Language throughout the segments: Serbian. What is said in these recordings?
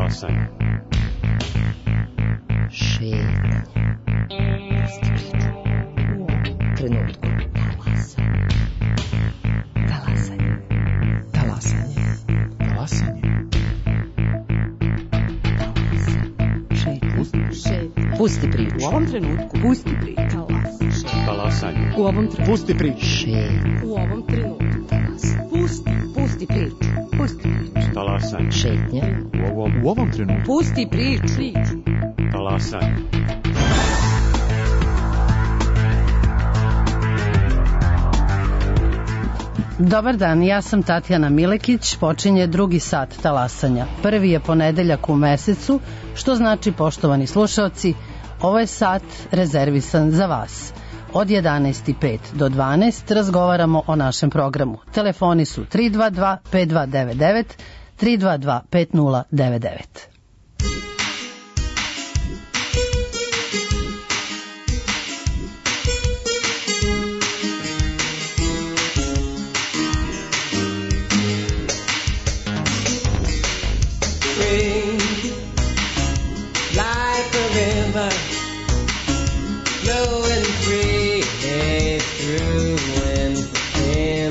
Talasanje. Šetnja. Trenutku. Talasanje. Talasanje. Talasanje. Šetnja. Pusti priču. U ovom trenutku. Pusti priču. Talasanje. U ovom trenutku. Pusti priču. Šetnja. U ovom trenutku. Pusti priču. Pusti priču. Talasanje. Šetnja. U ovom trenutku. Pusti priču. Talasanje. Dobar dan, ja sam Tatjana Milekić, počinje drugi sat talasanja. Prvi je ponedeljak u mesecu, što znači, poštovani slušaoci, ovo je sat rezervisan za vas. Od 11:05 do 12 razgovaramo o našem programu. Telefoni su 322 5299, 322 5099. Like a river flowing free through infinity.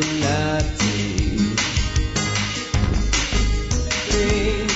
Free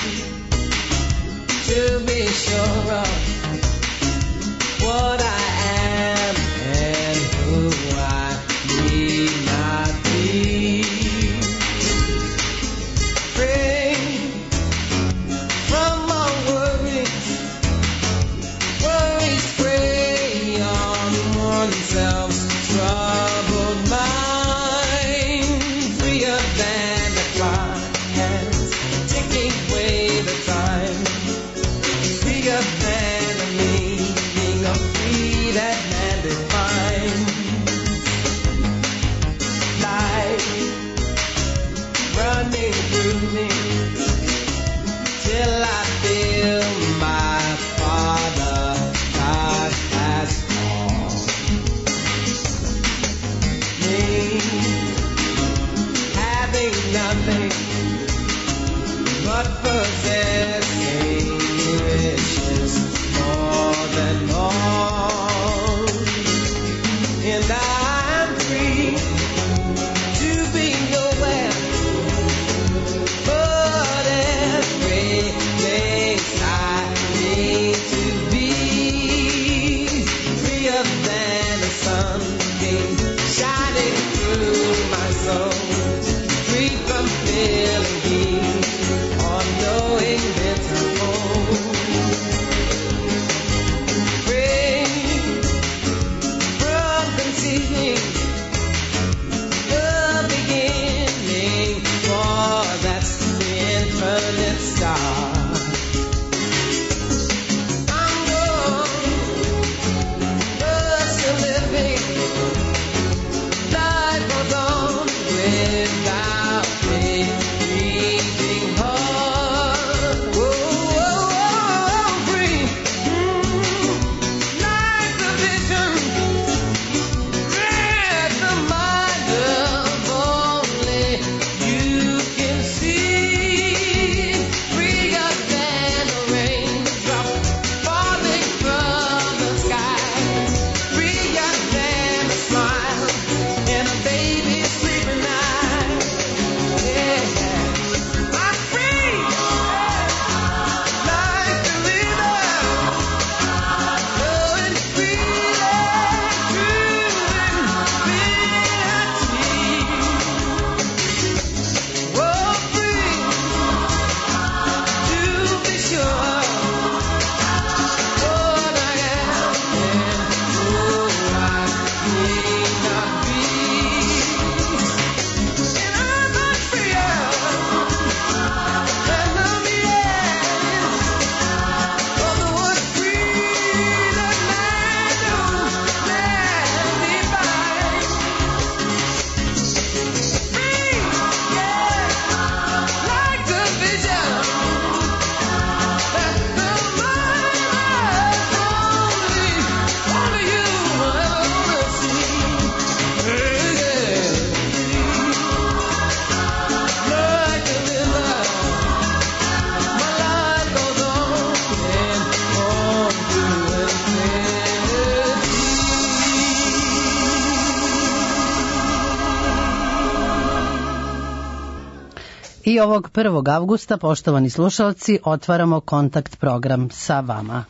I ovog 1. avgusta, poštovani slušalci, otvaramo kontakt program sa vama.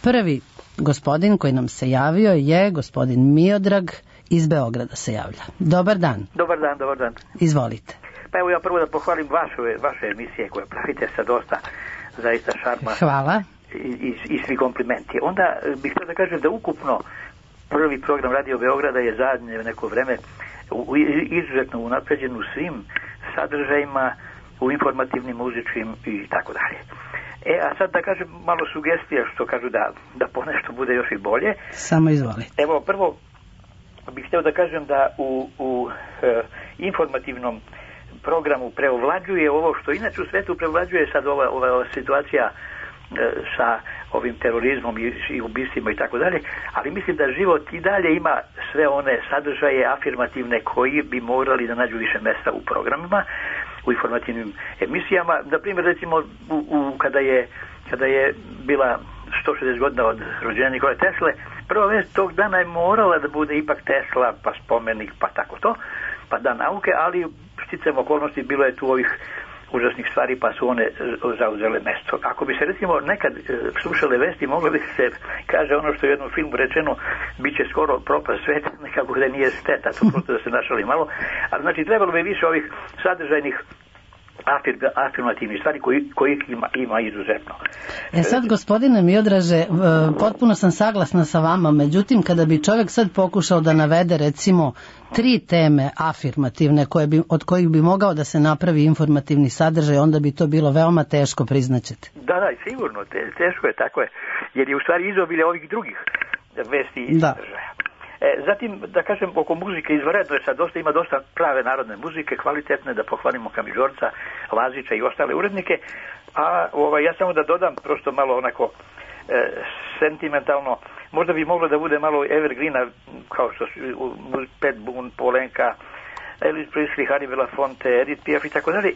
Prvi gospodin koji nam se javio je gospodin Miodrag iz Beograda se javlja. Dobar dan. Dobar dan. Izvolite. Pa evo ja prvo da pohvalim vaše emisije koje pravite sa dosta zaista šarma. Hvala. I svi komplimenti. Onda bih htio da kažem da ukupno prvi program Radio Beograda je zadnje neko vreme izuzetno unapređen u svim sadržajima, u informativnim, muzičkim i tako dalje. A sad da kažem malo sugestija što kažu da ponešto bude još i bolje. Samo izvolite. Evo prvo bih htio da kažem da u informativnom programu preovlađuje ovo što inače u svetu prevlađuje sad ova situacija sa ovim terorizmom i ubistvima i tako dalje, ali mislim da život i dalje ima sve one sadržaje afirmativne koji bi morali da nađu više mesta u programima, u informativnim emisijama. Na primjer, recimo, kada je bila 160 godina od rođenja Nikole Tesle, prva vest tog dana je morala da bude ipak Tesla, pa spomenik, pa tako to, pa dan nauke, ali sticajem okolnosti bilo je tu ovih užasnih stvari, pa su one zauzele mesto. Ako bi se recimo nekad slušale vesti, moglo bi se kaže ono što je u jednom filmu rečeno, bit će skoro propast sveta, nekako da nije šteta, to prosto da se našali malo, ali znači trebalo bi više ovih sadržajnih afirmativnih stvari kojih ima izuzetno. Sad, gospodine Miodraže, potpuno sam saglasna sa vama, međutim, kada bi čovjek sad pokušao da navede, recimo, 3 teme afirmativne od kojih bi mogao da se napravi informativni sadržaj, onda bi to bilo veoma teško, priznaćete. Da, sigurno, teško je, tako je, jer je u stvari izobilje ovih drugih vesti i sadržaja. Zatim, da kažem, oko muzike izvanredno je sad ima dosta prave narodne muzike, kvalitetne, da pohvalimo Kamižorca, Lazića i ostale urednike, a ja samo da dodam prosto malo onako sentimentalno, možda bi moglo da bude malo evergreena, kao što su Pat Boone, Polenka, Elvis Presley, Harry Belafonte, Edith Piaf i tako dalje,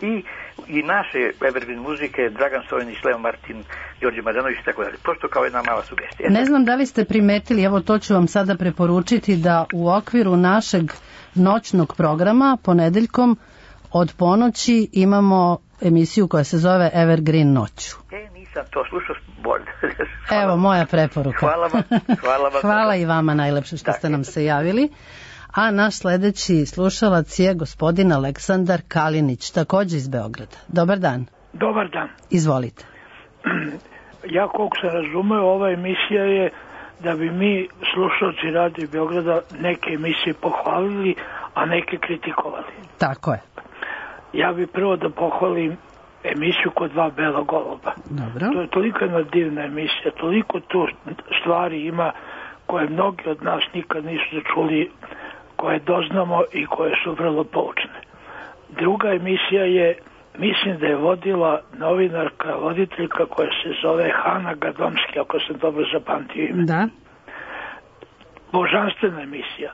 i naše evergreen muzike, Dragan Stojanić, Leo Martin, Đorđe Mađanović i tako dalje. Prosto kao jedna mala sugestija. Ne znam da li ste primetili, evo to ću vam sada preporučiti, da u okviru našeg noćnog programa ponedeljkom od ponoći imamo emisiju koja se zove Evergreen noću. Nisam to slušao bolje. Evo moja preporuka. Hvala vam. Hvala i vama najlepše što ste nam se javili. A naš sledeći slušalac je gospodin Aleksandar Kalinić, takođe iz Beograda. Dobar dan. Dobar dan. Izvolite. Ja koliko se razumeo, ova emisija je da bi mi, slušalci Radio Beograda, neke emisije pohvalili, a neke kritikovali. Tako je. Ja bi prvo da pohvalim emisiju Kod 2 bela goluba. Dobro. To je toliko jedna divna emisija, toliko tu stvari ima koje mnogi od nas nikad nisu čuli, koje doznamo i koje su vrlo poučne. Druga emisija je, mislim da je vodila novinarka, voditeljka koja se zove Hana Gadomski, ako sam dobro zapamtio ime. Da. Božanstvena emisija.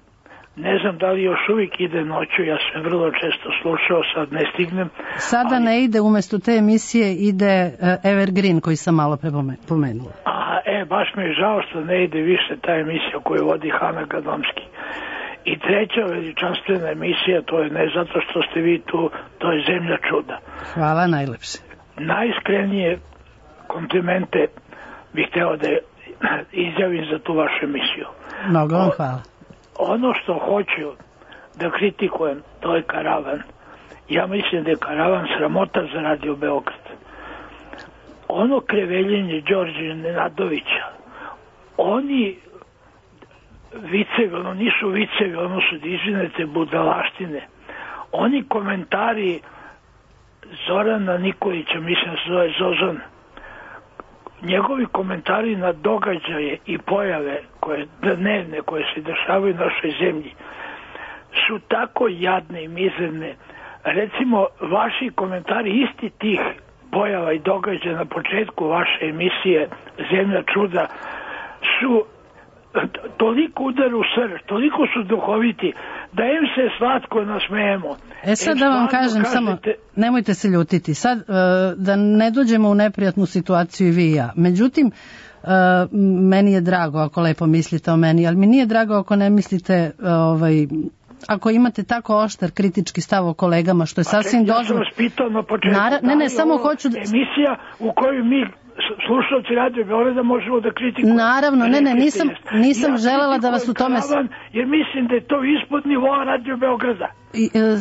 Ne znam da li još uvijek ide noću, ja sam vrlo često slušao, sad ne stignem. Sada ne ide, umjesto te emisije ide Evergreen koji sam malo pomenula. Baš mi je žao što ne ide više ta emisija koju vodi Hana Gadomski. I treća veličanstvena emisija, to je ne zato što ste vi tu, to je Zemlja čuda. Hvala najlepše. Najiskrenije komplimente bih hteo da izjavim za tu vašu emisiju. Mnogo vam hvala. Ono što hoću da kritikujem, to je Karavan. Ja mislim da je Karavan sramota za Radio Beograd. Ono kreveljenje Đorđe Nenadovića, oni vicevi, ono nisu vicevi, ono su izvinete budalaštine. Oni komentari Zorana Nikolića, mislim da se zove Zozan, njegovi komentari na događaje i pojave dnevne koje se dešavaju u našoj zemlji su tako jadne i mizerne. Recimo, vaši komentari isti tih pojava i događaja na početku vaše emisije Zemlja čuda su toliko udaru u srž, toliko su duhoviti, da im se slatko nasmejemo. Sad da vam kažem, samo nemojte se ljutiti, sad da ne dođemo u neprijatnu situaciju i vi i ja. Međutim, meni je drago ako lepo mislite o meni, ali mi nije drago ako ne mislite ako imate tako oštar kritički stav o kolegama, što je sasvim Ja sam dozvoljeno. vas pitao na početku. Ne, samo hoću da... Emisija u kojoj mi slušalci Radio Beograda možemo da kritikujemo. Naravno, nisam želela da vas u tome... Jer mislim da je to ispod nivoa Radio Beograda.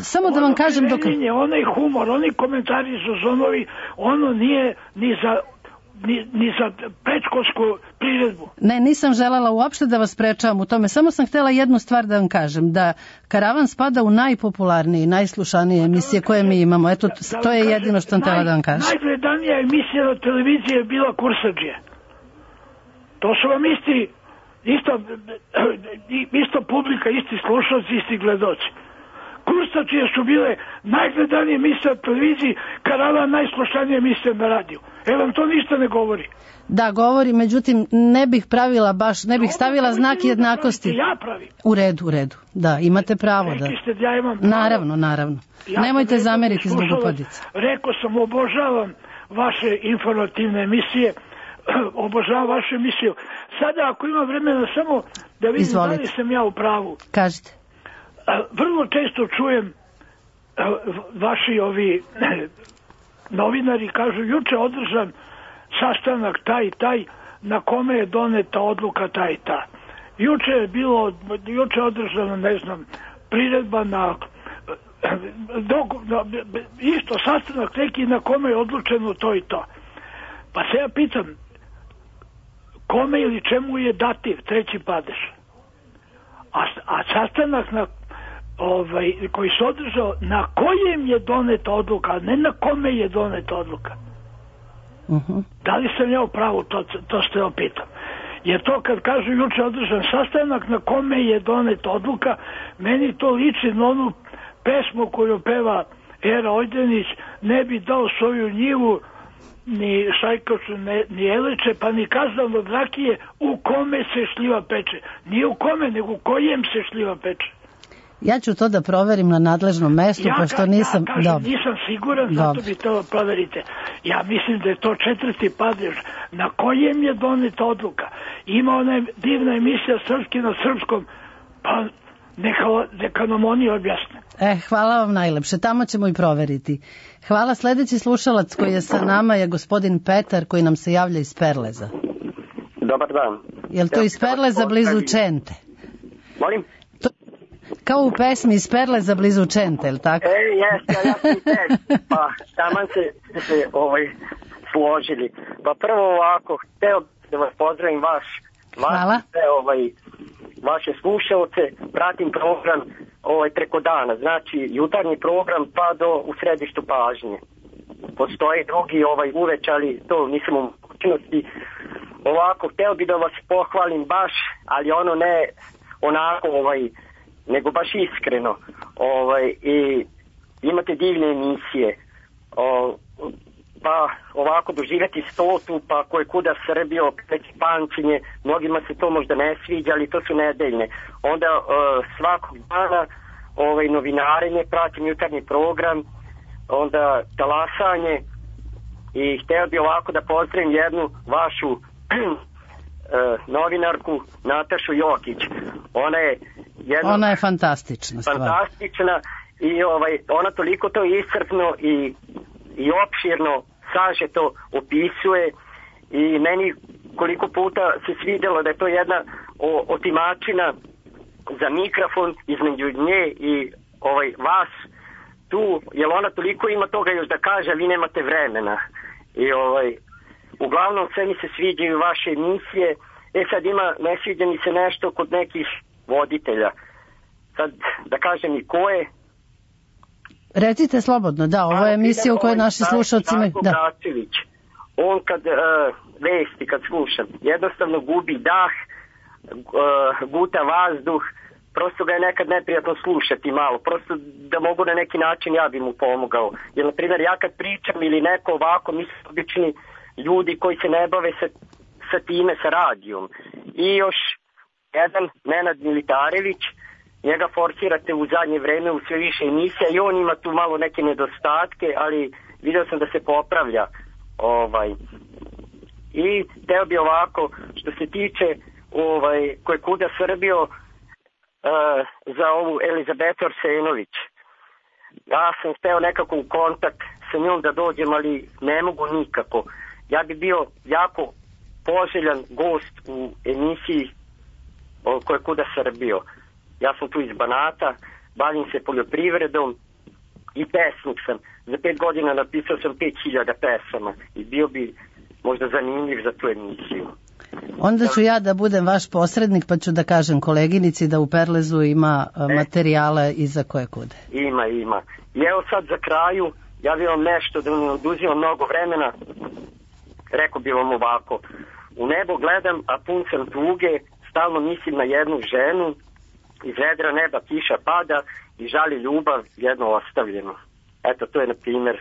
Samo da vam kažem dok... Onaj humor, oni komentari su zonovi, ono nije ni za predškolsku priredbu. Ne, nisam želela uopšte da vas sprečavam u tome. Samo sam htjela jednu stvar da vam kažem, da Karavan spada u najpopularnije i najslušanije emisije koje mi imamo. Eto, to je jedino što sam htjela da vam kažem. Najgledanija emisija na televiziji je bila Kursadžija. To su vam isto publika, isti slušalci, isti gledoci. Kursadžije su bile najgledanije emisije na televiziji, Karavan najslušanije emisije na radiju. Vam to ništa ne govori. Da, govori, međutim, ne bih pravila baš, ne bih stavila znak jednakosti. Ja pravim. U redu. Da, imate pravo da. Rekli ste da ja imam pravo. Naravno. Nemojte zameriti zbog upadica. Rekao sam, obožavam vaše informativne emisije, obožavam vašu emisiju. Sada, ako ima vremena, samo da vidim da li sam ja u pravu. Kažite. Vrlo često čujem vaši novinari kažu, juče održan sastanak taj i taj, na kome je doneta odluka taj i ta. Juče održano, ne znam, priredba na isto sastanak neki na kome je odlučeno to i to. Pa se ja pitam, kome ili čemu je dativ, treći padež? A sastanak koji se održao, na kojem je doneta odluka, a ne na kome je doneta odluka. Da li sam ja u pravu, to ste opitam. Jer to kad kažu juče održan sastanak na kome je doneta odluka, meni to liči na onu pesmu koju peva Era Ojdenić, ne bi dao svoju njivu ni šajkaču, ni eleče, pa ni kazan od rakije, u kome se šljiva peče. Nije u kome, nego u kojem se šljiva peče. Ja ću to da proverim na nadležnom mestu, pošto nisam... Ja kažem, nisam siguran, zato bi to proverite. Ja mislim da je to četvrti padež. Na kojem je doneta odluka? Ima ona divna emisija Srpski na srpskom, pa neka nam oni objasne. Hvala vam najlepše, tamo ćemo i proveriti. Hvala, sledeći slušalac koji je sa nama je gospodin Petar, koji nam se javlja iz Perleza. Dobar dan. Je li to iz Perleza blizu Čente? Molim? Kao u pesmi iz Perleza blizu Čente, je li tako? Jeste, ja sam i pa taman se složili. Pa prvo ovako, hteo da vas pozdravim vaše slušalce, pratim program preko dana, znači jutarnji program pa do u središtu pažnje. Postoji drugi uveč, ali to nisam u mogućnosti. Ovako, hteo bi da vas pohvalim baš, ali ono ne onako nego baš iskreno. I imate divne emisije. Pa ovako doživjeti stotu, pa koje kuda Srbio, već pamćenje, mnogima se to možda ne sviđa, ali to su nedeljne. Onda svakog dana novinarenje, pratim jutarnji program, onda talasanje i htio bi ovako da pozdravim jednu vašu novinarku Natašu Jokić. Ona je fantastična stvar. Fantastična i ona toliko to iscrpno i opširno sažeto opisuje i meni koliko puta se svidjelo da je to jedna otimačina za mikrofon između nje i vas tu, jer ona toliko ima toga još da kaže, a vi nemate vremena. I uglavnom sve mi se sviđaju vaše emisije. Sad ne sviđa mi se nešto kod nekih voditelja. Sad da kažem i ko je. Recite slobodno, da, ovo je emisija u kojoj naši slušalci imaju... On kad vesti, kad slušam, jednostavno gubi dah, guta vazduh, prosto ga je nekad neprijatno slušati malo, prosto da mogu na neki način ja bi mu pomogao. Jer, na primjer, ja kad pričam ili neko ovako, mi su obični ljudi koji se ne bave sa time, sa radijom. I još jedan, Nenad Militarević, njega forsirate u zadnje vreme u sve više emisija i on ima tu malo neke nedostatke, ali vidio sam da se popravlja. I teo bi ovako, što se tiče koje kuda Srbio, za ovu Elizabetu Arsenović. Ja sam hteo nekako u kontakt sa njom da dođem, ali ne mogu nikako. Ja bi bio jako poželjan gost u emisiji koja Kuda Srbijo. Ja sam tu iz Banata, bavim se poljoprivredom i pesnik sam. Za 5 godina napisao sam 5000 pesama i bio bi možda zanimljiv za tu emisiju. Onda ću ja da budem vaš posrednik, pa ću da kažem koleginici da u Perlezu ima materijale i za koje kude. Ima. I evo sad za kraju, ja bih vam nešto da ne oduzimam mnogo vremena. Rekao bih vam ovako. U nebo gledam, a pun sam tuge, stalno mislim na jednu ženu, iz vedra neba kiša pada i žali ljubav jedno ostavljeno. Eto, to je na primjer.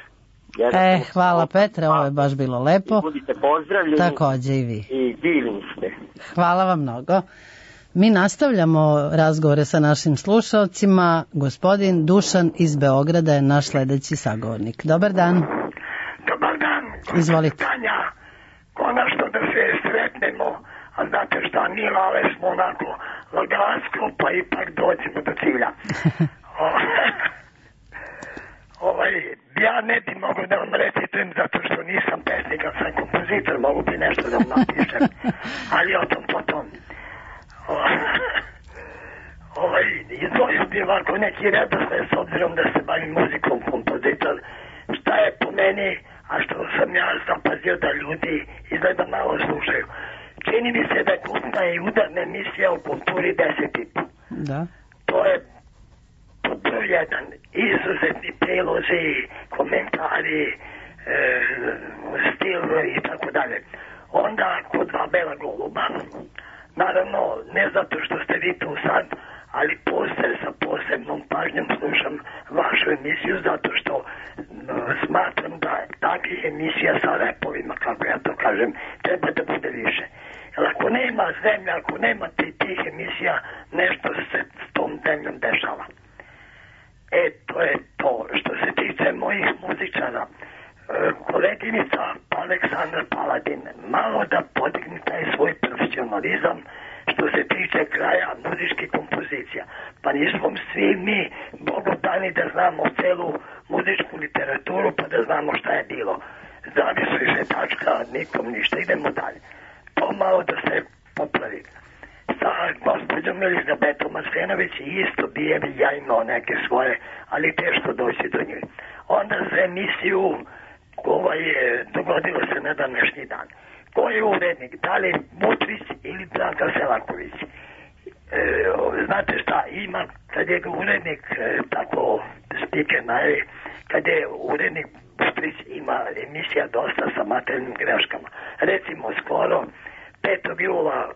Hvala Petre, ovo je baš bilo lepo. Budite pozdravljeni. Takođe i vi. I divni ste. Hvala vam mnogo. Mi nastavljamo razgovore sa našim slušalcima. Gospodin Dušan iz Beograda je naš sledeći sagovornik. Dobar dan. Dobar dan. Izvolite. Tanja, konačno da se sretnemo, a znate šta, nije lale smo onako lagansko, pa ipak dođemo do cilja. Ja ne bi mogu da vam recitujem zato što nisam pesnik, ali sam kompozitor, mogu bi nešto da vam napišem, ali o tom potom. Izvojio bi ovako neki redosled s obzirom da se bavim muzikom, kompozitor, šta je po meni, a što sam ja zapazio da ljudi izgleda malo slušaju. Čini mi se da je kultna i udarna emisija u kulturi 10,5. Da. To je broj jedan, izuzetni prilozi, komentari, stil i tako dalje. Onda kod Dva bela goluba, naravno ne zato što ste vi tu sad, ali sa posebnom pažnjom slušam vašu emisiju zato što smatram da takvih emisija sa repovima, kako ja to kažem, treba da bude više. Jer ako nema zemlja, ako nema tih emisija, nešto se s tom zemljom dešava. To je to. Što se tiče mojih muzičara, koleginica Aleksandra Paladin, malo da podigne taj svoj profesionalizam što se tiče kraja muzičkih kompozicija. Pa nismo svi mi bogodani da znamo celu muzičku literaturu pa da znamo šta je bilo. Zavisuje se tačka, nikom ništa, idemo dalje. To malo da se popravi. Sa gospođom Elizabetom Arsenović isto bi ja imao neke svoje, ali teško doći do njih. Onda za emisiju dogodilo se na današnji dan. Ko je urednik? Da li Mutrić ili Branka Selaković? Znate šta, ima, kad je urednik tako stike naje, kad je urednik Mutrić ima emisija dosta sa materijalnim greškama. Recimo skoro 5. jula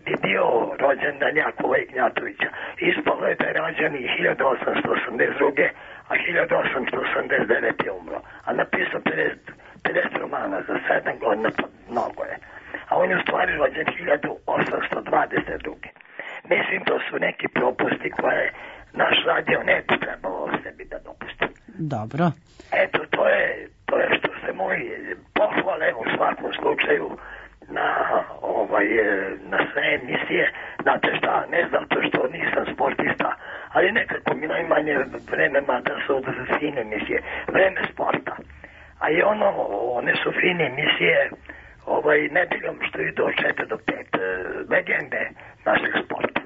bi bio rođendan Jakova Ignjatovića. Ispalo je da je rođen i 1882. a 1889. je umro. A napisao 50 romana za 7 godina, pa mnogo je. A on je u stvari rođen 1822. Mislim, to su neki propusti koje naš radio ne bi trebalo sebi da dopusti. Dobro. Eto, to je što se moji pohvale u svakom slučaju na sve emisije. Znate šta, ne zato što nisam sportista, ali nekako mi najmanje vreme, mada su fine emisije, vreme sporta. A i one su fine emisije nedeljom što idu od 4 do 5 legende našeg sporta.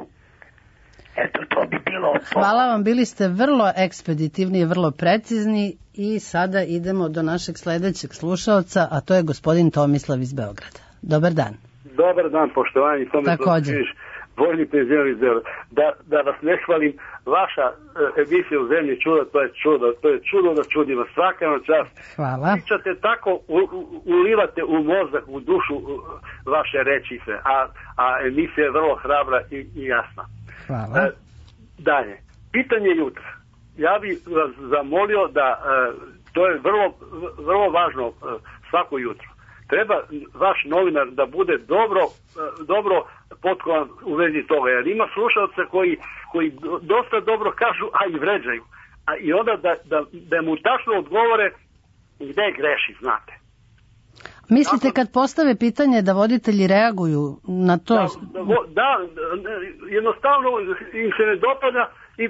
Eto, to bi bilo to. Hvala vam, bili ste vrlo ekspeditivni i vrlo precizni i sada idemo do našeg sledećeg slušalca, a to je gospodin Tomislav iz Beograda. Dobar dan. Dobar dan, poštovani Tomislav Križ, voljni penzioner iz Beograda. Da vas ne hvalim, vaša emisija u Zemlji čuda, to je čudo na čudima, svaka vam čast. Hvala. Pričate tako, ulivate u mozak, u dušu vaše rečice, a emisija je vrlo hrabra i jasna. Hvala. Dalje, pitanje jutra. Ja bih vas zamolio da, to je vrlo važno svako jutro. Treba vaš novinar da bude dobro potkovan u vezi toga, jer ima slušalca koji dosta dobro kažu, a i vređaju. I onda da mu tačno odgovore gde greši, znate. Mislite kad postave pitanje da voditelji reaguju na to? Da, jednostavno im se ne dopada i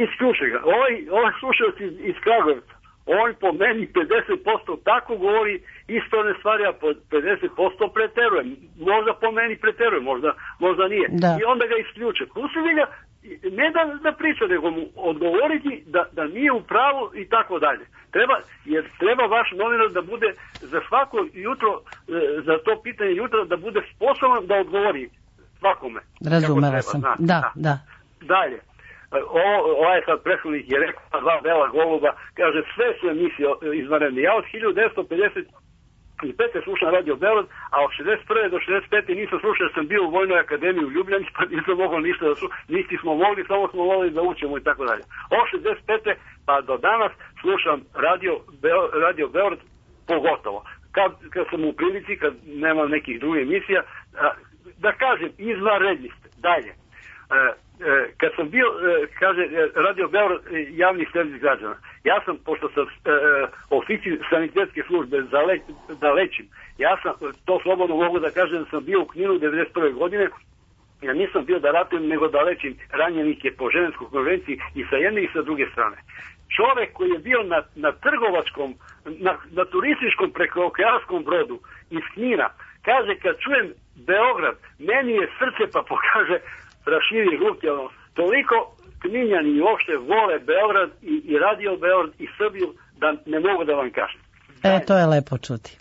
isključe ga. Ovaj slušalac iz Kragujevca, on po meni 50% tako govori ispravne stvari, a po 50% preteruje. Možda po meni preteruje, možda nije. Da. I onda ga isključe. Pustili ga, ne da priča, nego mu odgovoriti da nije u pravu i tako dalje. Treba vaš novinar da bude za svako jutro, za to pitanje jutra, da bude sposoban da odgovori svakome. Razumela sam. Da. Dalje. Ovaj sad prethodnik je rekao 2 bela goluba, kaže sve su emisije izvanredne. Ja od 1955. slušam Radio Beograd, a od 61. do 65. nisam slušao, jer sam bio u Vojnoj akademiji u Ljubljani, pa nisam mogao ništa da slušam, niti smo mogli, samo smo mogli da učemo i tako dalje. Od 65. pa do danas slušam Radio Beograd pogotovo. Kad sam u prilici, kad nemam nekih drugih emisija, da kažem, izvanredni ste. Dalje. Kad sam bio, kaže Radio Beograd, javni servis građana, ja sam, pošto sam oficir sanitetske službe da lečim, ja sam, to slobodno mogu da kažem, da sam bio u Kninu 91. godine, ja nisam bio da ratujem, nego da lečim ranjenike po Ženevskoj konvenciji i sa jedne i sa druge strane. Čovek koji je bio na trgovačkom, na turističkom prekookeanskom brodu iz Knina, kaže kad čujem Beograd, meni je srce, pa pokaže raširi ruke, toliko Kninjani i uopšte vole Beograd i Radio Beograd i Srbiju da ne mogu da vam kažem. To je lepo čuti.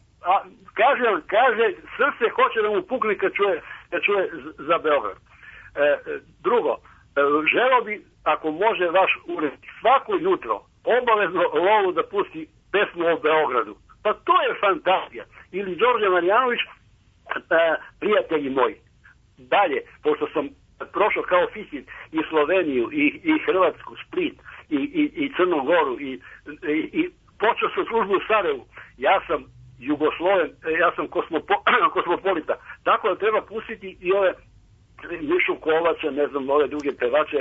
Kaže, srce hoće da mu pukne kad čuje za Beograd. Drugo, želeo bi, ako može vaš ured, svako jutro obavezno Lolu da pusti pesmu o Beogradu. Pa to je fantazija. Ili Đorđe Marjanović, prijatelji moji. Dalje, pošto sam prošao kao oficir i Sloveniju i Hrvatsku, Split i Crnu Goru i počeo sam službu u Sarajevu. Ja sam Jugosloven, ja sam kosmopolita. Tako da treba pustiti i ove Mišu Kovača, ne znam, ove druge pevače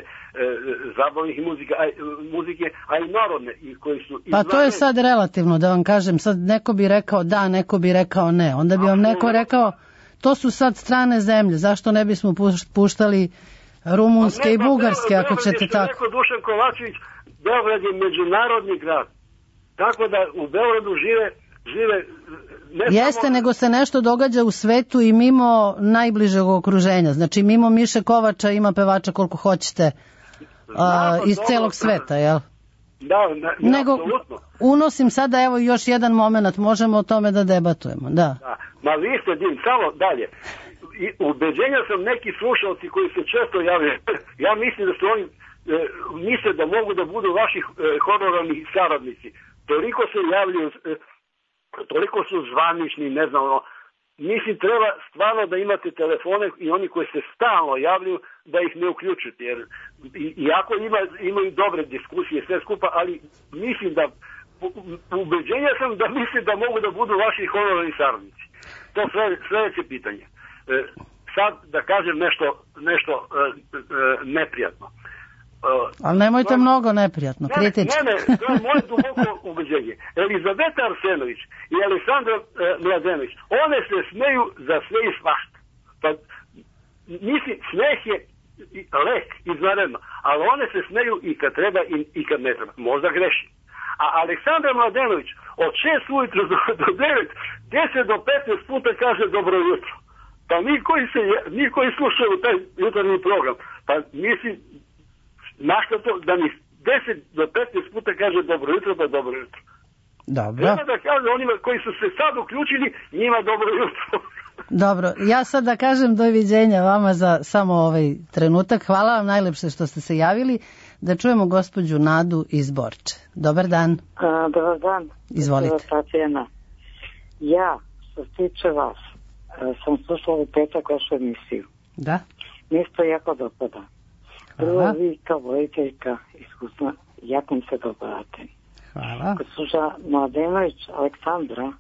zabavnih muzike, a i narodne. Pa to je sad relativno, da vam kažem. Sad neko bi rekao da, neko bi rekao ne. Onda bi vam neko rekao to su sad strane zemlje, zašto ne bismo puštali rumunske i bugarske, ako ćete tako. Rekao Dušan Kovačević, Beograd je međunarodni grad. Tako da u Beogradu žive Jeste, nego se nešto događa u svetu i mimo najbližeg okruženja. Znači, mimo Miše Kovača ima pevača koliko hoćete iz celog sveta, jel? Da, nego, unosim sada, evo još jedan moment, možemo o tome da debatujemo, da. Ma vi ste samo dalje. Ubeđenja sam neki slušalci koji se često javljaju. Ja mislim da su oni misle da mogu da budu vaši honorarni saradnici. Toliko se javljaju, toliko su zvanični, ne znam, mislim treba stvarno da imate telefone i oni koji se stalno javljaju da ih ne uključite, jer iako imaju dobre diskusije sve skupa, ali mislim da ubeđenja sam da mislim da mogu da budu vaši honorarni saradnici. To sljedeće pitanje. Sad da kažem nešto neprijatno. Ali nemojte mnogo neprijatno, kritički. Ne, to je moje duboko ubeđenje. Elizaveta Arsenović i Aleksandra Mladenović, one se smeju za sve i svašta. Pa, mislim, smeh je lek, izvanredno, ali one se smeju i kad treba i kad ne treba. Možda greši. A Aleksandra Mladenović od 6 ujutro do 9, 10 do 15 puta kaže dobro jutro. Pa mi koji slušaju taj jutarnji program, pa mislim, našta to da mi 10 do 15 puta kaže dobro jutro, pa dobro jutro. Dobro. Treba da kaže onima koji su se sad uključili, njima dobro jutro. Dobro, ja sad da kažem doviđenja vama za samo ovaj trenutak. Hvala vam najlepše što ste se javili. Da čujemo gospođu Nadu iz Borče. Dobar dan. Dobar dan. Izvolite. Ja, što se tiče vas, sam slušala u petak vašu emisiju. Da? Mi se to jako dopada. Prvo vi kao voditeljka iskusna, jako mi se dopadate. Hvala. Gospođa Mladenović Aleksandra,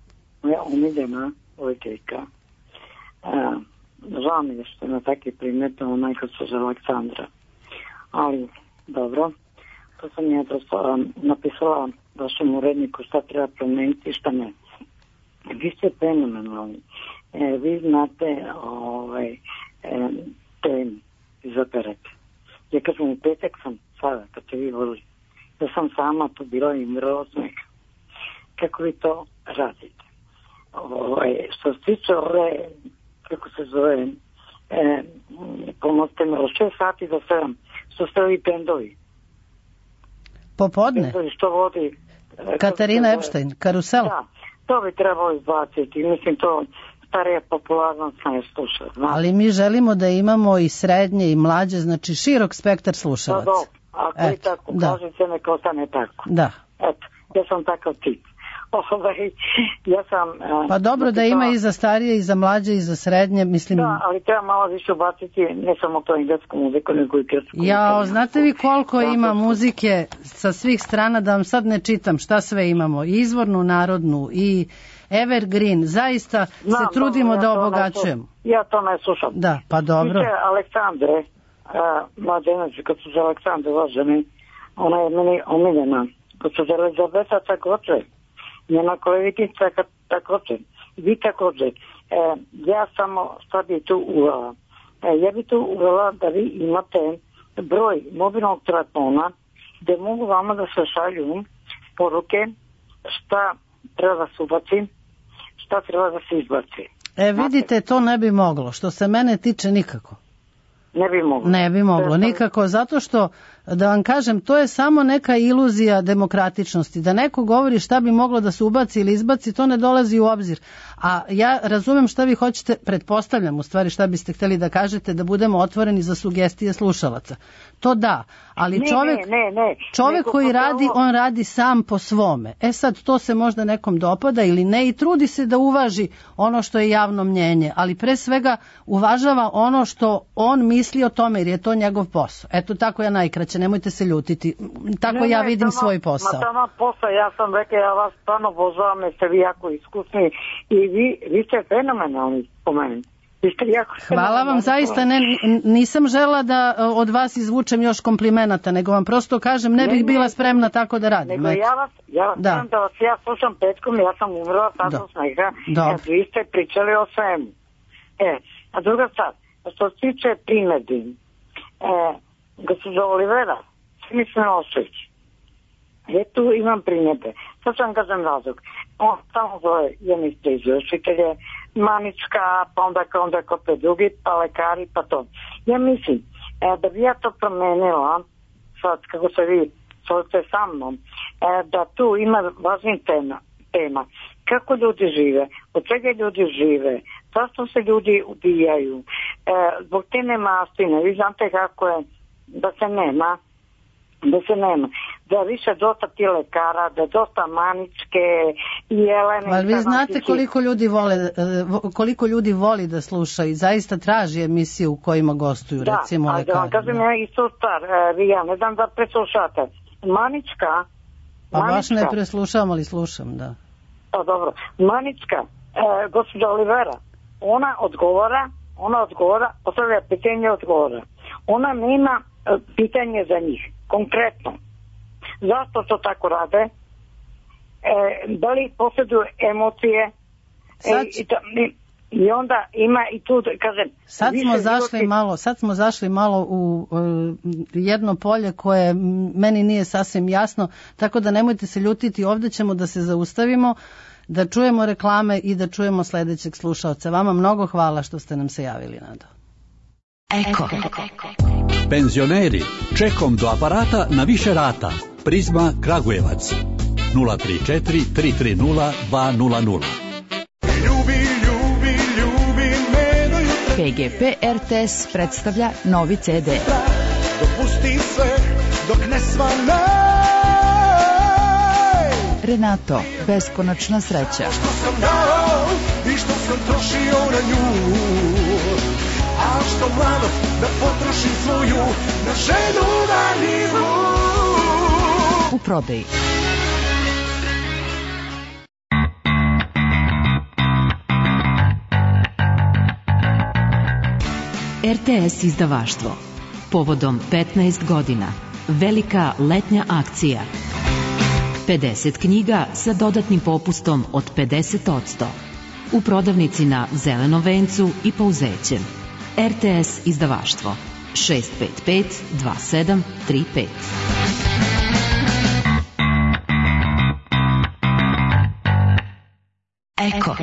moja omiljena voditeljka, žao mi je što je na takve primete ona i gospođa Aleksandra. Ali, dobro, to sam ja napisala vašem uredniku šta treba promeniti i šta ne. Vi ste fenomenalni. Vi znate temu iz operete. Ja kažem, u petak sam sada, kad ste vi volili, da sam sama to bila i mrlo smeka. Kako vi to radite? Što se tiče ove, kako se zove, pomozite mi, od 6 sati do 7, što ste ovi pendovi? Popodne? Pendovi što vodi... Katarina Epstein, Karusel? Da, to bi trebalo izbaciti. Mislim, to starija popularnost ne sluša. Ali mi želimo da imamo i srednje i mlađe, znači širok spektar slušalaca. Da, ako vi tako kažete, neka ostane tako. Da. Eto, ja sam takav tip. Ja sam... Pa dobro da ima i za starije, i za mlađe, i za srednje, mislim... Da, ali treba malo više ubaciti, ne samo to englesku muziku, nego i grčku. Jao, znate vi koliko ima muzike sa svih strana, da vam sad ne čitam šta sve imamo, i izvornu, narodnu, i evergreen, zaista se trudimo da obogaćujemo. Ja to ne slušam. Da, pa dobro. Viće Aleksandre, mlađenači, kad su za Aleksandre voženi, ona je meni omiljena, kad su za Elizabeta također, njena koleginica također, vi također. Ja samo šta bi tu uvela? Ja bi tu uvela da vi imate broj mobilnog telefona gdje mogu vama da se šalju poruke šta treba da se ubaci, šta treba da se izbaci. Vidite, to ne bi moglo. Što se mene tiče, nikako. Ne bi moglo. Ne bi moglo, nikako, zato što, da vam kažem, to je samo neka iluzija demokratičnosti. Da neko govori šta bi moglo da se ubaci ili izbaci, to ne dolazi u obzir. A ja razumem šta vi hoćete, pretpostavljam u stvari šta biste htjeli da kažete, da budemo otvoreni za sugestije slušalaca. To da, ali čovjek koji radi, on radi sam po svome. Sad, to se možda nekom dopada ili ne i trudi se da uvaži ono što je javno mnjenje, ali pre svega uvažava ono što on misli o tome, jer je to njegov posao. Eto, tako ja najkraće, nemojte se ljutiti. Tako ja vidim svoj posao. Ma posao, ja sam rekao, ja vas stvarno obožavam, jer ste vi jako iskusni i vi ste fenomenalni po meni. Hvala vam, zaista nisam žela da od vas izvučem još komplimenata, nego vam prosto kažem, ne bih bila spremna tako da radim. Nego ja vas ja slušam petkom, ja sam umrla sad od smeha, kad vi ste pričali o svemu. A druga stvar, što se tiče primedbi, gospođa Olivera, mislim Ošović, ja tu imam primjedbe. Sad sam kažem razlog. On samo zove jednih izvršitelje, Manička, pa onda kopje drugi, pa lekari, pa to. Ja mislim, da bi ja to promenila, sad kako se vi solite sa mnom, da tu ima važnih tema. Kako ljudi žive, od čega ljudi žive, zašto se ljudi ubijaju, zbog te nemastine, vi znate kako je, da se nema, da više dosta ti lekara, da dosta Maničke i Jelene. Ali vi znate koliko ljudi voli da sluša i zaista traži emisije u kojima gostuju, recimo lekari. Da, ali kažem ja isto stvar, ja ne znam da preslušate. Manička... Pa baš ne preslušavam, ali slušam, da. Pa dobro, Manička, gospođa Olivera, ona odgovora, postavlja pitanje, odgovora. Ona nema pitanje za njih, konkretno. Zašto to tako rade? Da li posjeduju emocije? I onda ima i tu, kažem... Sad smo zašli malo u jedno polje koje meni nije sasvim jasno, tako da nemojte se ljutiti, ovdje ćemo da se zaustavimo, da čujemo reklame i da čujemo sljedećeg slušaoca. Vama mnogo hvala što ste nam se javili, Nado. Eko. Penzioneri, čekom do aparata na više rata. Prizma Kragujevac 034 330 200. PGP RTS predstavlja novi CD. Dopusti sve dok ne svane. Renato, beskonačna sreća. Što sam dao i što sam trošio na nju. A što mladost da potrošim svoju na ženu daljivu. U prodaji. RTS izdavaštvo. Povodom 15 godina. Velika letnja akcija. 50 knjiga sa dodatnim popustom od 50%. U prodavnici na Zelenom vencu i Pouzećem. RTS izdavaštvo 655 2735. Eko.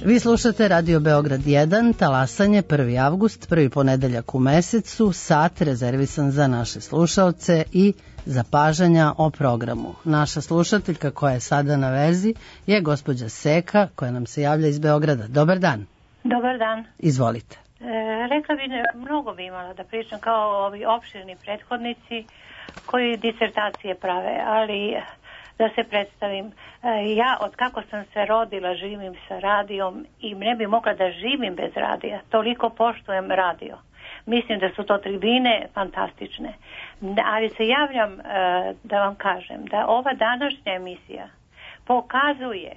Vi slušate Radio Beograd 1, talasanje 1. avgust, prvi ponedeljak u mesecu, sat rezervisan za naše slušaoce i zapažanja o programu. Naša slušateljka koja je sada na vezi je gospođa Seka koja nam se javlja iz Beograda. Dobar dan. Dobar dan. Izvolite. Rekla bi, mnogo bi imala da pričam kao ovi opširni prethodnici koji disertacije prave, ali da se predstavim. Ja od kako sam se rodila živim sa radijom i ne bi mogla da živim bez radija. Toliko poštujem radio. Mislim da su to tribine fantastične. Ali se javljam da vam kažem da ova današnja emisija pokazuje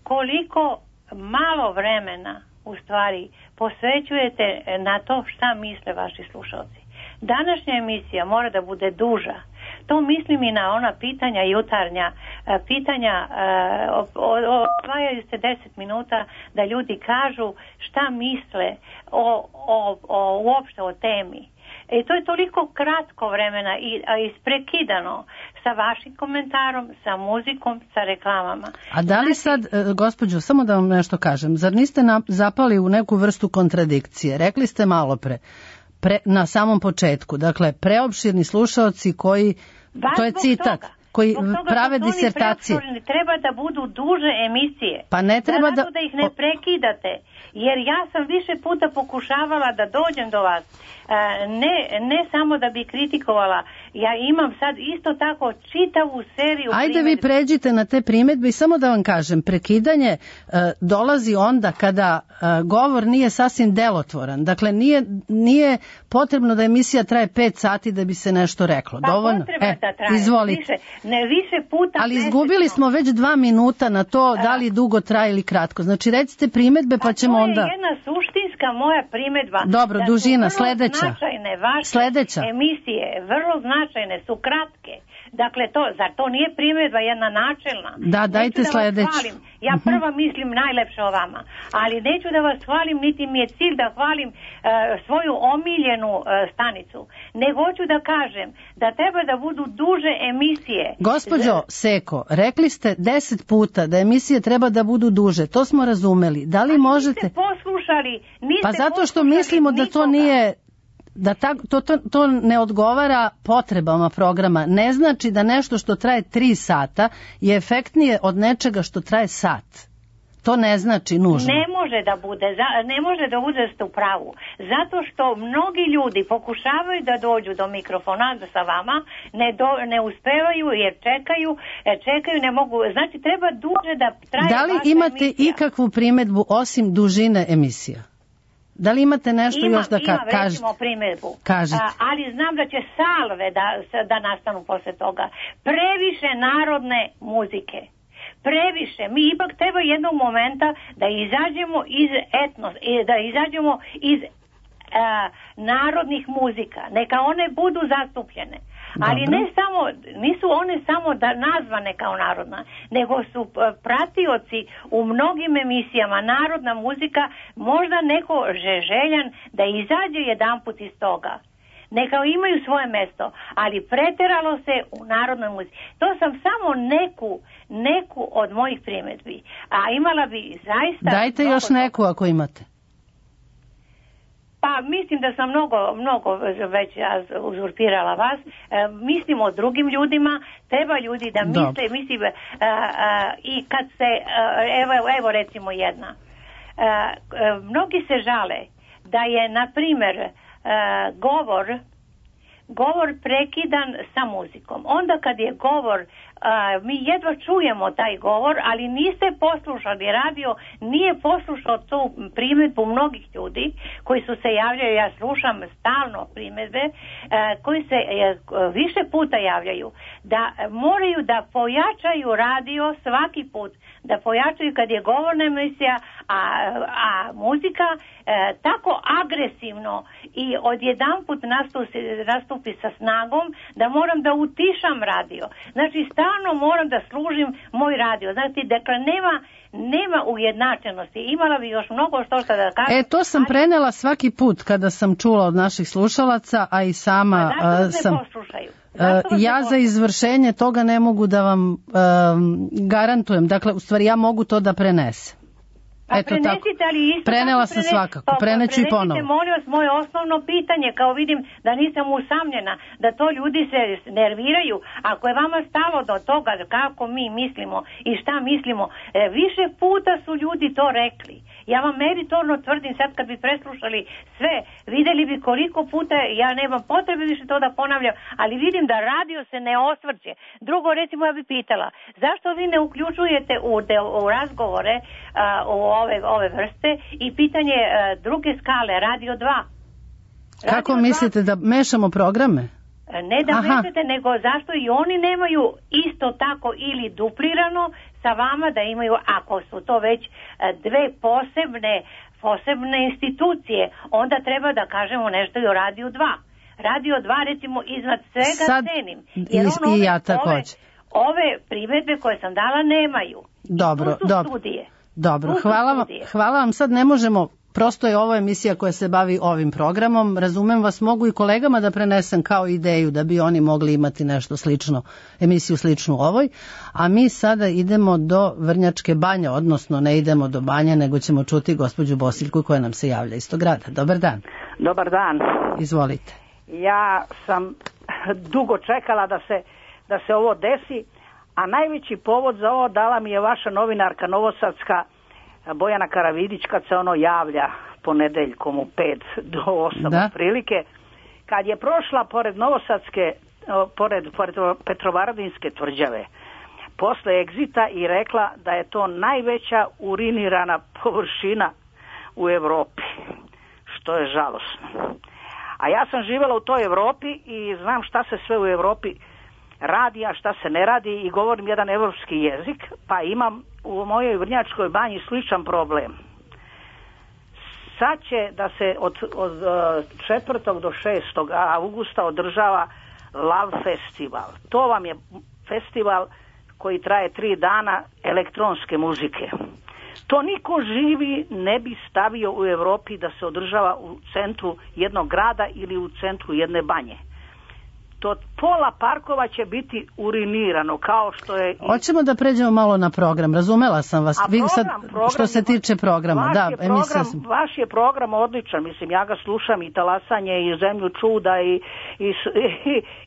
koliko malo vremena u stvari posvećujete na to šta misle vaši slušalci. Današnja emisija mora da bude duža. To mislim i na ona pitanja jutarnja, pitanja odvajaju se 10 minuta da ljudi kažu šta misle uopšte o temi. I to je toliko kratko vremena i isprekidano sa vašim komentarom, sa muzikom, sa reklamama. A da li sad, gospođo, samo da vam nešto kažem, zar niste zapali u neku vrstu kontradikcije? Rekli ste malo na samom početku, dakle, preopširni slušaoci koji, to je citat, koji prave disertacije. Treba da budu duže emisije. Pa ne treba da ih ne prekidate, jer ja sam više puta pokušavala da dođem do vas. Ne samo da bi kritikovala, ja imam sad isto tako čitavu seriju Ajde vi pređite na te primjedbe i samo da vam kažem, prekidanje dolazi onda kada govor nije sasvim delotvoran. Dakle, nije potrebno da emisija traje 5 sati da bi se nešto reklo. Pa dovoljno? Potrebno da traje. Izvolite. Više puta. Ali izgubili smo već 2 minuta na to da li dugo traje ili kratko. Znači recite primjedbe pa ćemo onda... To je jedna suštinska moja primjedba. Dobro, dužina, sledeća. Značajne vaše emisije, vrlo značajne su kratke. Dakle, zar to nije primjedba jedna načelna? Da, dajte sledeću. Ja prva mislim najlepše o vama, ali neću da vas hvalim, niti mi je cilj da hvalim svoju omiljenu stanicu. Nego hoću da kažem da treba da budu duže emisije. Gospođo Seko, rekli ste 10 puta da emisije treba da budu duže, to smo razumeli. Da li možete... Niste poslušali, Pa zato što mislimo da to nije... da to ne odgovara potrebama programa. Ne znači da nešto što traje 3 sata je efektnije od nečega što traje sat. To ne znači nužno. Ne može da bude ste u pravu. Zato što mnogi ljudi pokušavaju da dođu do mikrofona sa vama, ne uspevaju jer čekaju, ne mogu. Znači treba duže da traje vaša emisija. Da li imate ikakvu primjedbu osim dužine emisija? Da li imate nešto još da kažete? Imam recimo primjedbu, ali znam da će salve da nastanu posle toga. Previše narodne muzike. Previše. Mi ipak treba jednog momenta da izađemo iz narodnih muzika. Neka one budu zastupljene. Ali nisu one samo nazvane kao narodna, nego su pratioci u mnogim emisijama. Narodna muzika, možda neko željan da izađe jedanput iz toga. Neka imaju svoje mesto, ali preteralo se u narodnoj muzici. To sam samo neku od mojih primjedbi. A imala bi zaista... Dajte još neku ako imate. Pa mislim da sam mnogo već uzurpirala vas. Mislim o drugim ljudima, treba ljudi da misle, i kad se, evo recimo jedna. Mnogi se žale da je, na primjer, govor prekidan sa muzikom. Onda kad je govor mi jedva čujemo taj govor, ali niste poslušali, radio nije poslušao tu primjedbu mnogih ljudi koji su se javljaju, ja slušam stalno primjedbe, koji se više puta javljaju, da moraju da pojačaju radio svaki put, da pojačaju kad je govorna emisija, a muzika tako agresivno i odjedanput nastupi sa snagom da moram da utišam radio. Znači stalno moram da služim moj radio. Znači, dakle, nema ujednačenosti. Imala bi još mnogo što da kažem. To sam prenela svaki put kada sam čula od naših slušalaca, a i sama sam... Ja za izvršenje toga ne mogu da vam garantujem. Dakle, u stvari ja mogu to da prenesem. Eto tako. Prenela sam svakako, preneću i ponovo. Prenesite, molim vas, moje osnovno pitanje, kao vidim da nisam usamljena, da to ljudi se nerviraju. Ako je vama stalo do toga kako mi mislimo i šta mislimo, više puta su ljudi to rekli. Ja vam meritorno tvrdim, sad kad bi preslušali sve, vidjeli bi koliko puta, ja nemam potrebe više to da ponavljam, ali vidim da radio se ne osvrće. Drugo, recimo, ja bi pitala, zašto vi ne uključujete u razgovore u ove vrste i pitanje druge skale, radio 2? Kako mislite da mešamo programe? Ne da mešate, nego zašto i oni nemaju isto tako ili duplirano sa vama, da imaju, ako su to već dve posebne institucije, onda treba da kažemo nešto i o Radio 2. Radio 2, recimo, iznad svega cenim. Jer ove primjedbe koje sam dala nemaju. Dobro, studije. Dobro, hvala vam. Sad ne možemo, prosto je ovo emisija koja se bavi ovim programom. Razumem vas, mogu i kolegama da prenesem kao ideju da bi oni mogli imati nešto slično, emisiju sličnu ovoj. A mi sada idemo do Vrnjačke Banje, odnosno ne idemo do Banje, nego ćemo čuti gospođu Bosiljku koja nam se javlja iz tog grada. Dobar dan. Dobar dan. Izvolite. Ja sam dugo čekala da se ovo desi, a najveći povod za ovo dala mi je vaša novinarka novosadska Bojana Karavidić, kad se ono javlja ponedeljkom u 5 do 8 otprilike, kad je prošla pored novosadske, pored Petrovaradinske tvrđave posle egzita i rekla da je to najveća urinirana površina u Evropi, što je žalosno. A ja sam živjela u toj Evropi i znam šta se sve u Evropi radi, a šta se ne radi, i govorim jedan evropski jezik, pa imam u mojoj Vrnjačkoj Banji sličan problem. Sad će da se od 4. do 6. augusta održava Lav festival. To vam je festival koji traje 3 dana elektronske muzike. To niko živi ne bi stavio u Evropi da se održava u centru jednog grada ili u centru jedne banje. To pola parkova će biti urinirano, kao što je... Hoćemo da pređemo malo na program, razumela sam vas. Što se tiče programa, vaš je program odličan, mislim, ja ga slušam, i Talasanje, i Zemlju čuda,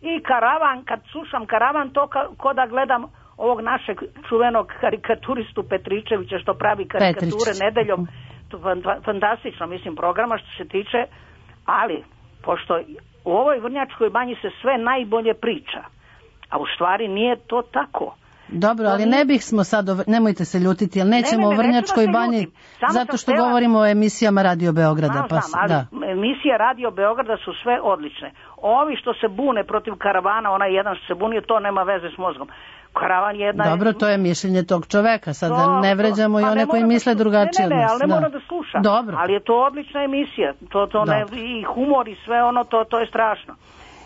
i Karavan. Kad slušam Karavan, to ko da gledam ovog našeg čuvenog karikaturistu Petričevića, što pravi karikature nedeljom. Fantastično, mislim, programa što se tiče, ali pošto u ovoj Vrnjačkoj Banji se sve najbolje priča, a u stvari nije to tako. Dobro, ali ne bih smo sad, nemojte se ljutiti, jer nećemo o Vrnjačkoj Banji, zato što govorimo o emisijama Radio Beograda. Emisije Radio Beograda su sve odlične. Ovi što se bune protiv Karavana, onaj jedan što se bunio, to nema veze s mozgom. Karavan je jedna... Dobro, to je mišljenje tog čoveka, sad ne vređamo i one koji misle drugačije od nas. Ali ne mora da sluša. Dobro. Ali je to odlična emisija, i humor i sve ono, to je strašno.